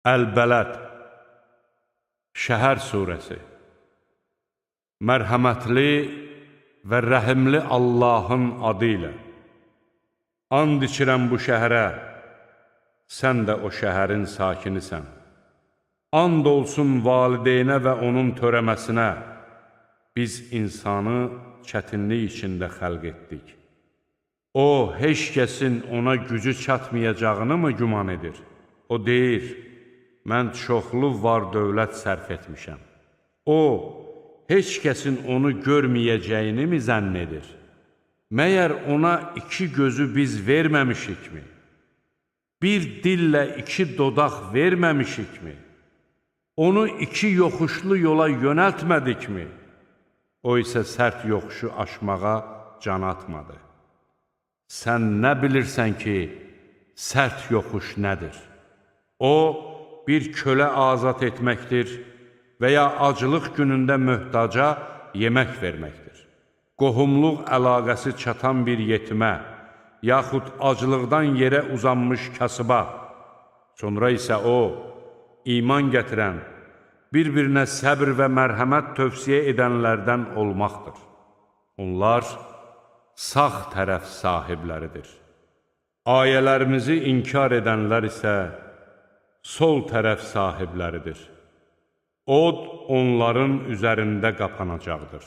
Əl-Bələd Şəhər surəsi Mərhəmətli və rəhimli Allahın adı ilə and içirəm bu şəhərə, sən də o şəhərin sakinisən. And olsun valideynə və onun törəməsinə, biz insanı çətinlik içində xəlq etdik. O, heç kəsin ona gücü çatmayacağını mı güman edir? O deyir, mən çoxlu var dövlət sərf etmişəm. O, heç kəsin onu görməyəcəyini mi zənn edir? Məyər ona iki gözü biz verməmişikmi? Bir dillə iki dodaq verməmişikmi? Onu iki yoxuşlu yola yönəltmədikmi? O isə sərt yoxuşu aşmağa can atmadı. Sən nə bilirsən ki, sərt yoxuş nədir? O, bir kölə azad etməkdir və ya acılıq günündə möhtaca yemək verməkdir. Qohumluq əlaqəsi çatan bir yetimə, yaxud acılıqdan yerə uzanmış kasıba, sonra isə o, iman gətirən, bir-birinə səbr və mərhəmət tövsiyə edənlərdən olmaqdır. Onlar sağ tərəf sahibləridir. Ayələrimizi inkar edənlər isə sol tərəf sahibləridir. Od onların üzərində qapanacaqdır.